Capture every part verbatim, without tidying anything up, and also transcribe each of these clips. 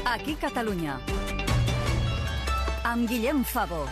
Aquí Catalunya. Amb Guillem Favo.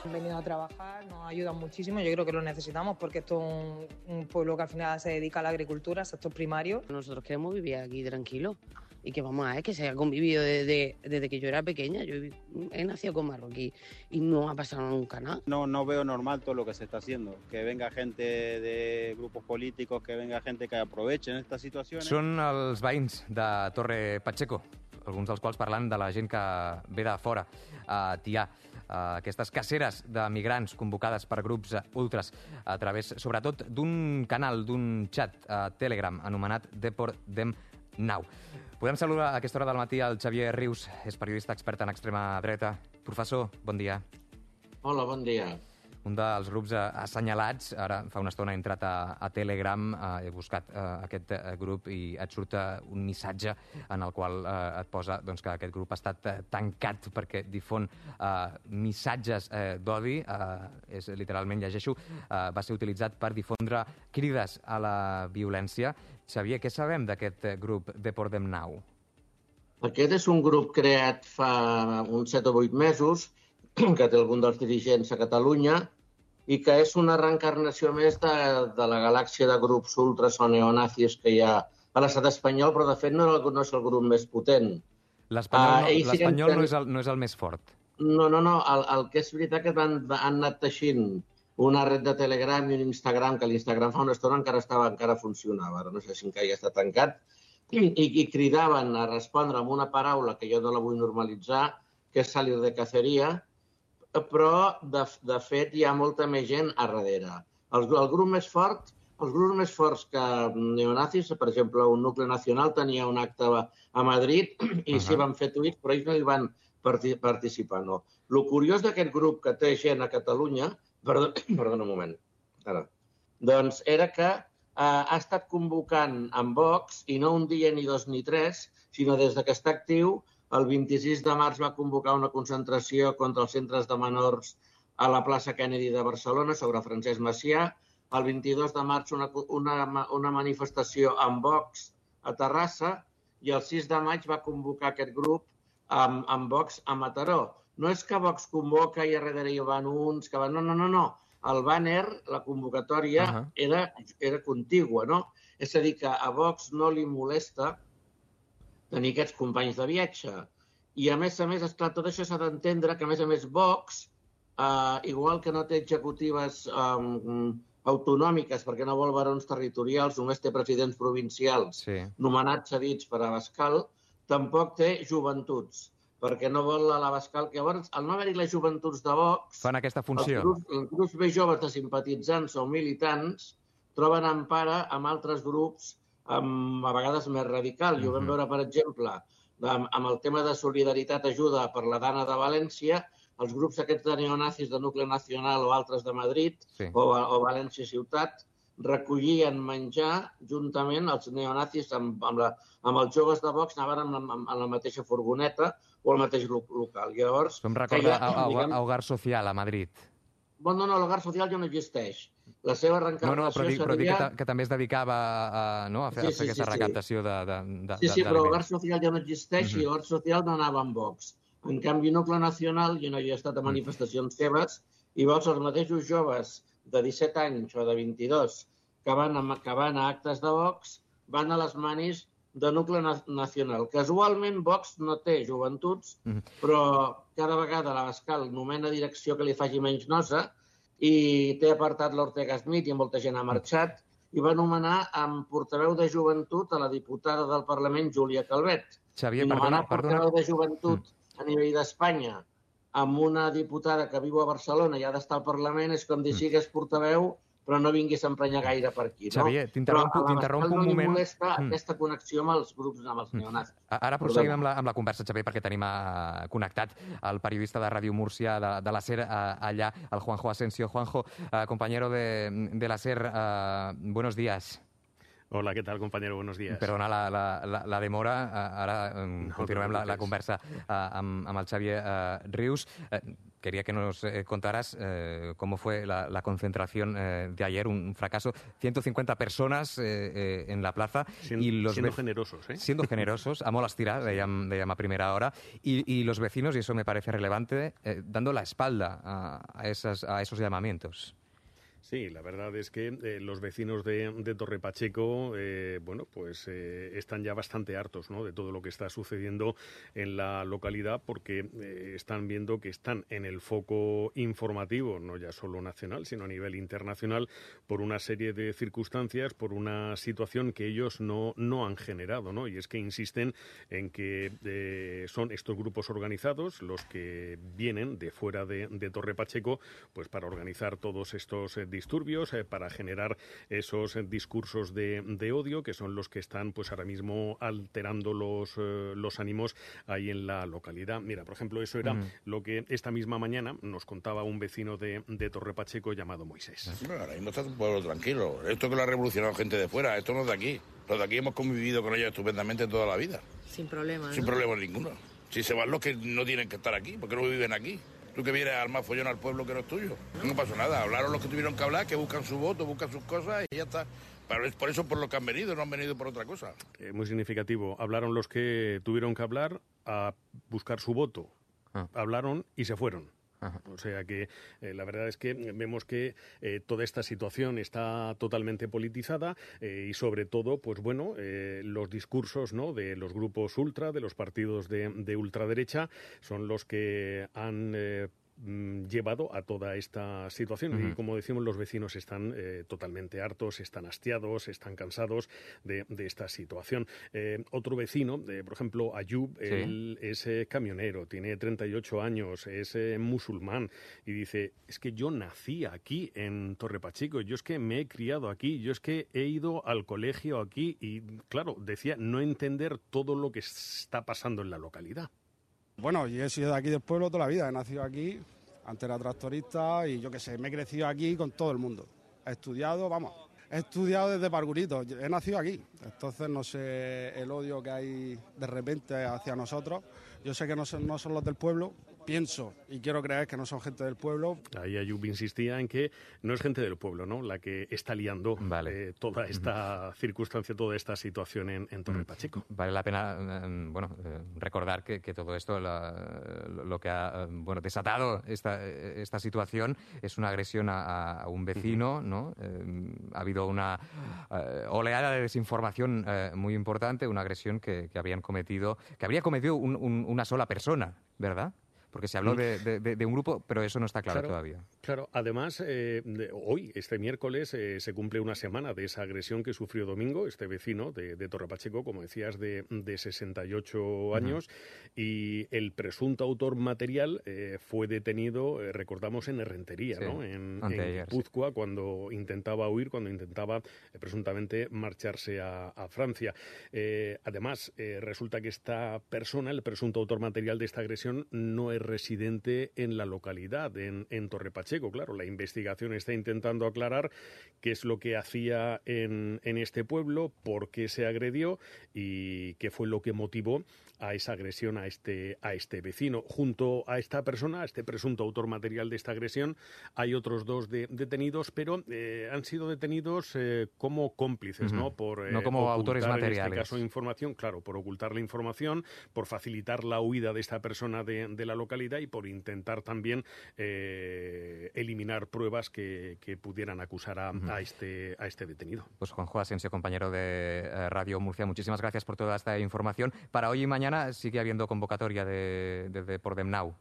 Han venido a trabajar, nos ayudan muchísimo, yo creo que lo necesitamos porque esto es un, un pueblo que al final se dedica a la agricultura, al sector primario. Nosotros queremos vivir aquí tranquilos y que vamos a ver que se ha convivido desde, desde que yo era pequeña. Yo he, he nacido con marroquí y no ha pasado nunca nada. No, no veo normal todo lo que se está haciendo, que venga gente de grupos políticos, que venga gente que aprovechen estas situaciones. Són els veïns de Torre Pacheco, alguns dels quals parlant de la gent que ve de fora a Tià. Uh, aquestes caceres de migrants convocades per grups ultras a través, sobretot, d'un canal, d'un xat a Telegram anomenat Deport Dem Now. Podem saludar a aquesta hora del matí el Xavier Rius, és periodista expert en extrema dreta. Professor, bon dia. Hola, bon dia. Un dels grups assenyalats, ara fa una estona he entrat a, a Telegram, eh, he buscat eh, aquest eh, grup i et surt eh, un missatge en el qual eh, et posa doncs, que aquest grup ha estat eh, tancat perquè difon eh, missatges eh, d'odi, eh, és literalment, llegeixo, eh, va ser utilitzat per difondre crides a la violència. Xavier, què sabem d'aquest grup Deport Dem Now? Aquest és un grup creat fa uns set o vuit mesos, que té algun dels dirigents a Catalunya, i que és una reencarnació més de, de la galàxia de grups ultras o neonazis que hi ha a l'estat espanyol, però de fet no, no és el grup més potent. L'espanyol no, uh, siguen... no, és el, no és el més fort. No, no, no. El, el que és veritat que van, han anat teixint una red de Telegram i un Instagram, que l'Instagram fa una estona encara estava, encara funcionava, ara no sé si encara ja està tancat, i, i cridaven a respondre amb una paraula que jo no la vull normalitzar, que és salir de caceria, però, de, de fet, hi ha molta més gent a darrere. El, el grup més fort, els grups més forts que neonazis, per exemple, un Nucle Nacional tenia un acte a Madrid i uh-huh. s'hi van fer tuits, però ells no hi van participar, no. El curiós d'aquest grup que té gent a Catalunya, perdó, perdona un moment, ara, doncs era que eh, ha estat convocant amb Vox, i no un dia, ni dos, ni tres, sinó des que està actiu. El vint-i-sis de març va convocar una concentració contra els centres de menors a la plaça Kennedy de Barcelona sobre Francesc Macià. El vint-i-dos de març una, una, una manifestació amb Vox a Terrassa i el sis de maig va convocar aquest grup amb, amb Vox a Mataró. No és que Vox convoca i a darrere hi van uns que van... No, no, no, no. El banner, la convocatòria, uh-huh. era, era contigua, no? És a dir, que a Vox no li molesta tenir aquests companys de viatge. I, a més a més, esclar, tot això s'ha d'entendre que, a més a més, Vox, eh, igual que no té executives eh, autonòmiques perquè no vol barons territorials, només té presidents provincials sí. nomenats cedits per Abascal, tampoc té joventuts, perquè no vol a l'Abascal. Llavors, al no haver-hi les joventuts de Vox, fan aquesta funció. Els grups, els grups més joves de simpatitzants o militants troben empara amb altres grups Amb, a vegades més radical. I ho vam veure, per exemple, amb, amb el tema de solidaritat ajuda per la Dana de València, els grups aquests de neonazis de Nucle Nacional o altres de Madrid sí. o, o València Ciutat recollien menjar juntament els neonazis amb, amb, la, amb els joves de Vox, anaven amb, amb, amb la mateixa furgoneta o el mateix local. Llavors, em recorda a, a, a Hogar Social a Madrid. Bueno, no, l'Hogar Social ja no existeix. La seva reencarnació no, no, però dic, seria... però dic que, que també es dedicava a, no, a fer, sí, sí, a fer aquesta sí, recaptació sí. de, de, de Sí, sí, però l'Hogar Social ja no existeix uh-huh. i l'Hogar Social no anava amb Vox. En canvi, Nucle Nacional, jo no hi he estat a manifestacions seves, i veus els mateixos joves de disset anys o de vint-i-dos que van, a, que van a actes de Vox, van a les manis de Nucle Nacional. Casualment, Vox no té joventuts, uh-huh. però cada vegada l'Abascal nomena direcció que li faci menys nosa, i té apartat l'Ortega Smith i molta gent ha marxat, i va nomenar amb portaveu de joventut a la diputada del Parlament, Júlia Calvet. Xavier, I nomenar perdona, perdona. portaveu de joventut mm. a nivell d'Espanya amb una diputada que viu a Barcelona i ha d'estar al Parlament és com dir mm. sigues portaveu, però no vinguis a emprenyar gaire per aquí. No? Xavier, t'interrompo un moment. No li molesta mm. aquesta connexió amb els grups, amb els neonazis. Ara proseguim amb la, amb la conversa, Xavier, perquè tenim uh, connectat el periodista de Ràdio Múrcia de, de la SER uh, allà, el Juanjo Asensio. Juanjo, uh, compañero de, de la SER, uh, buenos días. Hola, què tal, compañero? Buenos días. Perdona la, la, la, la demora. Ara um, No, continuem no la, la conversa uh, amb, amb el Xavier uh, Rius. Uh, quería que nos eh, contaras eh, cómo fue la, la concentración eh, de ayer, un fracaso. ciento cincuenta personas eh, eh, en la plaza. Sien, y los siendo generosos, ¿eh? Siendo generosos, a molas tiras, dèiem, dèiem a primera hora. Y, y los vecinos, y eso me parece relevante, eh, dando la espalda a, a, esas, a esos llamamientos. Sí, la verdad es que eh, los vecinos de, de Torre Pacheco, eh, bueno, pues eh, están ya bastante hartos, ¿no?, de todo lo que está sucediendo en la localidad, porque eh, están viendo que están en el foco informativo, no ya solo nacional, sino a nivel internacional, por una serie de circunstancias, por una situación que ellos no, no han generado, ¿no? Y es que insisten en que eh, son estos grupos organizados los que vienen de fuera de, de Torre Pacheco, pues para organizar todos estos eh, disturbios, eh, para generar esos eh, discursos de, de odio, que son los que están pues ahora mismo alterando los, eh, los ánimos ahí en la localidad. Mira, por ejemplo, eso era mm. lo que esta misma mañana nos contaba un vecino de, de Torre Pacheco llamado Moisés. Bueno, ahora mismo está un pueblo tranquilo. Esto que lo ha revolucionado gente de fuera, esto no es de aquí. Los de aquí hemos convivido con ellos estupendamente toda la vida. Sin problema, ¿no? Sin problema ninguno. Si se van los que no tienen que estar aquí, porque no viven aquí. Tú que vienes a armar follón al pueblo que no es tuyo. No pasó nada. Hablaron los que tuvieron que hablar, que buscan su voto, buscan sus cosas y ya está. Pero es por eso por lo que han venido, no han venido por otra cosa. Eh, muy significativo. Hablaron los que tuvieron que hablar a buscar su voto. Ah. Hablaron y se fueron. Ajá. O sea que eh, la verdad es que vemos que eh, toda esta situación está totalmente politizada eh, y sobre todo, pues bueno, eh, los discursos, ¿no?, de los grupos ultra, de los partidos de, de ultraderecha, son los que han eh, llevado a toda esta situación. Uh-huh. Y como decimos, los vecinos están eh, totalmente hartos, están hastiados, están cansados de, de esta situación. Eh, otro vecino, eh, por ejemplo, Ayub, sí. él es eh, camionero, tiene treinta y ocho años, es eh, musulmán y dice, es que yo nací aquí en Torre Pacheco, yo es que me he criado aquí, yo es que he ido al colegio aquí y, claro, decía no entender todo lo que está pasando en la localidad. Bueno, yo he sido de aquí del pueblo toda la vida, he nacido aquí, antes era tractorista y yo qué sé, me he crecido aquí con todo el mundo. He estudiado, vamos, he estudiado desde parvulito, he nacido aquí. Entonces no sé el odio que hay de repente hacia nosotros. Yo sé que no son, no son los del pueblo, pienso y quiero creer que no son gente del pueblo. Ahí Ayub insistía en que no es gente del pueblo, ¿no?, la que está liando vale. eh, toda esta uh-huh. circunstancia, toda esta situación en, en Torre Pacheco. Vale la pena, eh, bueno, eh, recordar que, que todo esto, la, lo que ha eh, bueno, desatado esta, esta situación es una agresión a, a un vecino, ¿no? Eh, ha habido una eh, oleada de desinformación eh, muy importante, una agresión que, que habían cometido, que habría cometido un, un, una sola persona, ¿verdad? Porque se habló de, de, de un grupo, pero eso no está claro, claro todavía. Claro, además, eh, de, hoy, este miércoles, eh, se cumple una semana de esa agresión que sufrió Domingo, este vecino de, de Torre Pacheco, como decías, de, de sesenta y ocho años, uh-huh. y el presunto autor material eh, fue detenido, eh, recordamos, en Errentería, sí, ¿no?, en, en Guipúzcoa, sí. cuando intentaba huir, cuando intentaba eh, presuntamente marcharse a, a Francia. Eh, además, eh, resulta que esta persona, el presunto autor material de esta agresión, no es residente en la localidad, en, en Torre Pacheco. Claro, la investigación está intentando aclarar qué es lo que hacía en, en este pueblo, por qué se agredió y qué fue lo que motivó a esa agresión a este, a este vecino. Junto a esta persona, a este presunto autor material de esta agresión, hay otros dos de, detenidos, pero eh, han sido detenidos eh, como cómplices, uh-huh. ¿no? Por, eh, no como autores materiales. En este caso, información, claro, por ocultar la información, por facilitar la huida de esta persona de, de la localidad y por intentar también eh, eliminar pruebas que, que pudieran acusar a, uh-huh. a, este, a este detenido. Pues Juanjo Asensio, compañero de eh, Radio Murcia, muchísimas gracias por toda esta información. Para hoy y mañana sigue habiendo convocatoria de, de, de por Demnau.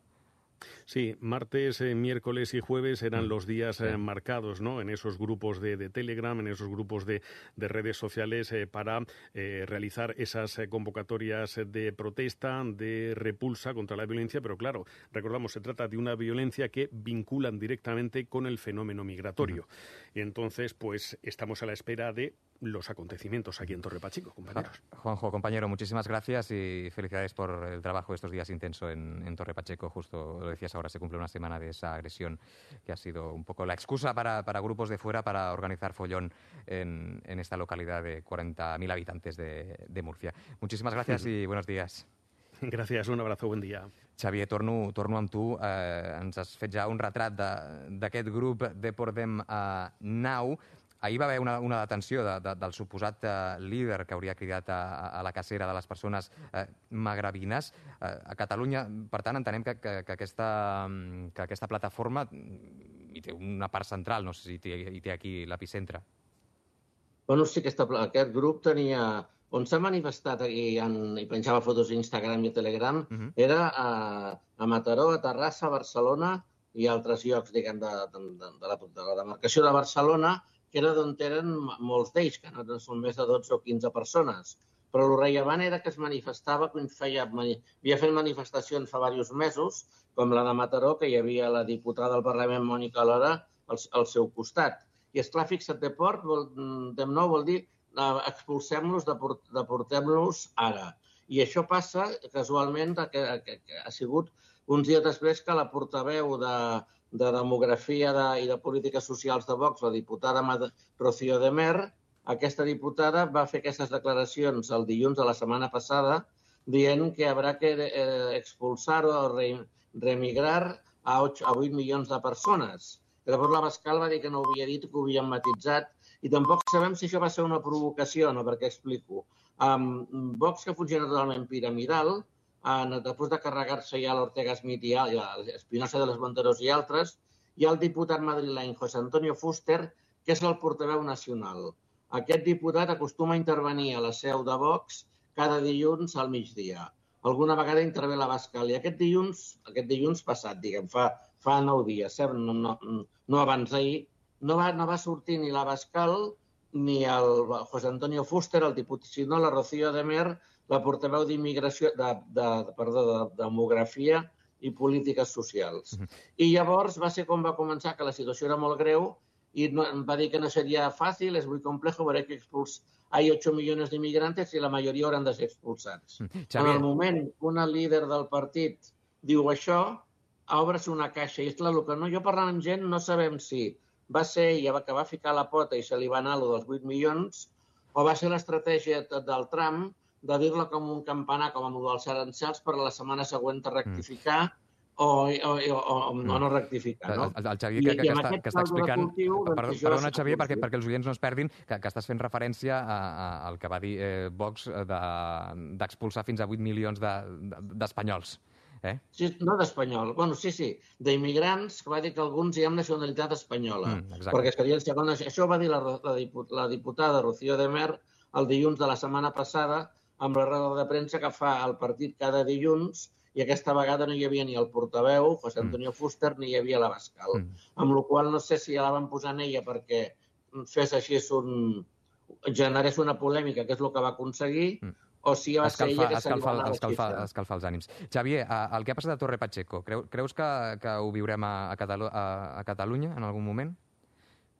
Sí, martes, eh, miércoles y jueves eran los días eh, marcados, ¿no?, en esos grupos de, de Telegram, en esos grupos de, de redes sociales eh, para eh, realizar esas eh, convocatorias de protesta, de repulsa contra la violencia, pero claro, recordamos, se trata de una violencia que vinculan directamente con el fenómeno migratorio. Uh-huh. Y entonces, pues, estamos a la espera de los acontecimientos aquí en Torre Pacheco, compañeros. Juanjo, compañero, muchísimas gracias y felicidades por el trabajo estos días intenso en, en Torre Pacheco, justo lo decías pues ahora se cumple una semana de esa agresión que ha sido un poco la excusa para, para grupos de fuera para organizar follón en, en esta localidad de cuarenta mil habitantes de, de Murcia. Muchísimas gracias y buenos días. Gràcies, un abrazo, bon dia. Xavier, torno, torno amb tu. Eh, ens has fet ja un retrat d'aquest grup Deportem eh, Now. Ahir va haver una, una detenció de, de, del suposat eh, líder que hauria cridat a, a la cacera de les persones eh, magrebines. Eh, a Catalunya, per tant, entenem que, que, que, aquesta, que aquesta plataforma hi té una part central, no sé si hi té, hi té aquí l'epicentre. Bueno, sí, aquesta, aquest grup tenia... On s'ha manifestat i, en, i penjava fotos a Instagram i a Telegram, uh -huh. era a, a Mataró, a Terrassa, a Barcelona i altres llocs, diguem, de, de, de, de, la, de la demarcació de Barcelona, que era d'on eren molts d'ells, que no són més de dotze o quinze persones. Però el rellevant era que es manifestava, que feia, havia fet manifestacions fa diversos mesos, com la de Mataró, que hi havia la diputada del Parlament, Mònica Lora, al, al seu costat. I, esclar, fixa't, deport, de nou vol dir expulsem-los, deportem-los ara. I això passa, casualment, que, que, que ha sigut uns dies després que la portaveu de, de Demografia de, i de Polítiques Socials de Vox, la diputada Rocío de Mer, aquesta diputada va fer aquestes declaracions el dilluns de la setmana passada dient que haurà que eh, expulsar o re, remigrar a, ocho, a vuit milions de persones. Llavors l'Abascal va dir que no ho havia dit, que ho havien matitzat, i tampoc sabem si això va ser una provocació o no, perquè explico. Um, Vox, que funciona totalment piramidal, uh, després de carregar-se ja l'Ortega Smith i l'Espinosa de los Monteros i altres, hi ha el diputat madrileny José Antonio Fuster, que és el portaveu nacional. Aquest diputat acostuma a intervenir a la seu de Vox cada dilluns al migdia. Alguna vegada intervé l'Abascal. I aquest dilluns, aquest dilluns passat, diguem, fa, fa nou dies, eh? no, no, no abans d'ahir, no va, no va sortir ni l'Abascal ni el José Antonio Fuster, el diputat, sinó la Rocío de Mer, la portaveu d'immigració, de, de, perdó, de demografia i polítiques socials. Uh-huh. I llavors va ser com va començar, que la situació era molt greu i no, va dir que no seria fàcil, és molt complejo, haurà que expulsar. Hay ocho millones de inmigrantes i la majoria hauran de ser expulsats. Uh-huh. En el moment que una líder del partit diu això, obres una caixa. I és clar, el que no, jo parlant amb gent no sabem si va ser ella que va ficar la pota i se li va anar allò dels vuit milions, o va ser l'estratègia del Trump de dir-la com un campanar, com amb el dels aranzels, per la setmana següent de rectificar mm. o, o, o, o, o no rectificar. No? El, el Xavier que, que, que, està, que està explicant... Cultiu, perdó, perdona, Xavier, perquè, perquè els oients no es perdin, que, que estàs fent referència a, a, al que va dir eh, Vox d'expulsar de, fins a vuit milions d'espanyols. De, Eh? Sí, no d'espanyol. Bueno, sí, sí, d'immigrants, que va dir que alguns hi ha nacionalitat espanyola. Mm, perquè serien segons... Això va dir la, la, la diputada Rocío de Mer el dilluns de la setmana passada amb la roda de premsa que fa el partit cada dilluns i aquesta vegada no hi havia ni el portaveu, José Antonio mm. Fuster, ni hi havia l'Abascal. Mm. Amb la qual no sé si ja la van posar en ella perquè fes així un... generés una polèmica, que és el que va aconseguir, mm. o si va ser ella que se li va anar escalfar, escalfar els ànims. Xavier, el que ha passat a Torre Pacheco, creu, creus que, que ho viurem a, a, Catalu a, a Catalunya en algun moment?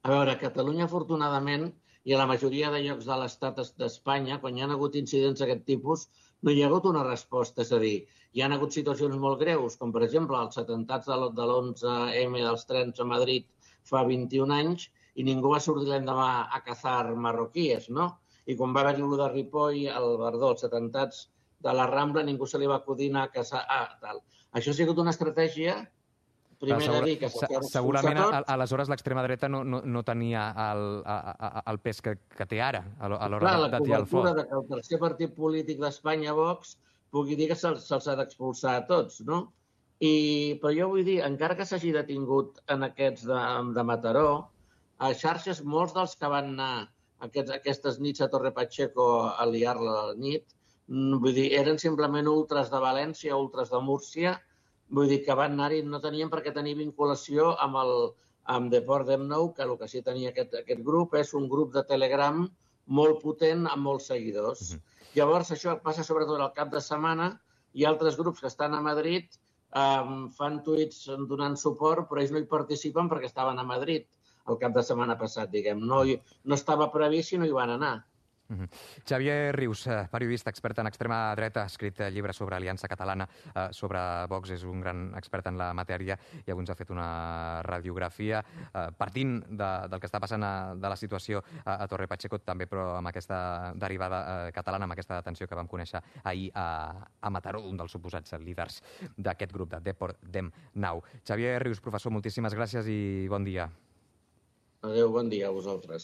A veure, a Catalunya, afortunadament, i a la majoria de llocs de l'estat d'Espanya, quan hi ha hagut incidents d'aquest tipus, no hi ha hagut una resposta. És a dir, hi ha hagut situacions molt greus, com per exemple els atemptats de l'onze eme dels trens a Madrid fa vint-i-un anys, i ningú va sortir l'endemà a cazar marroquíes, no? I quan va haver-hi el de Ripoll, el Verdó, els atemptats de la Rambla, ningú se li va acudir anar a caçar... Ah, tal. Això ha sigut una estratègia, primer de dir que s'ha fet segurament, tot. Aleshores, l'extrema dreta no, no, no tenia el, el pes que, que té ara, a l'hora de tirar el foc. La cobertura de que el tercer partit polític d'Espanya, Vox, pugui dir que se'ls se ha d'expulsar a tots, no? I, però jo vull dir, encara que s'hagi detingut en aquests de, de Mataró, a xarxes, molts dels que van anar aquests, aquestes nits a Torre Pacheco a liar-la a la nit, vull dir, eren simplement ultras de València, ultras de Múrcia, vull dir que van anar-hi, no tenien per què tenir vinculació amb el amb Deportem Now, que el que sí tenia aquest, aquest grup és un grup de Telegram molt potent amb molts seguidors. Uh-huh. Llavors, això passa sobretot al cap de setmana i altres grups que estan a Madrid um, fan tuits donant suport, però ells no hi participen perquè estaven a Madrid el cap de setmana passat, diguem. No, no estava previst i no hi van anar. Uh-huh. Xavier Rius, periodista, expert en extrema dreta, ha escrit llibre sobre Aliança Catalana, eh, sobre Vox, és un gran expert en la matèria i avui ens ha fet una radiografia eh, partint de, del que està passant a, de la situació a, a Torre Pacheco, també però amb aquesta derivada eh, catalana, amb aquesta detenció que vam conèixer ahir a, a Mataró, un dels suposats líders d'aquest grup de Deport Dem Now. Xavier Rius, professor, moltíssimes gràcies i bon dia. Adéu, bon dia a vosaltres.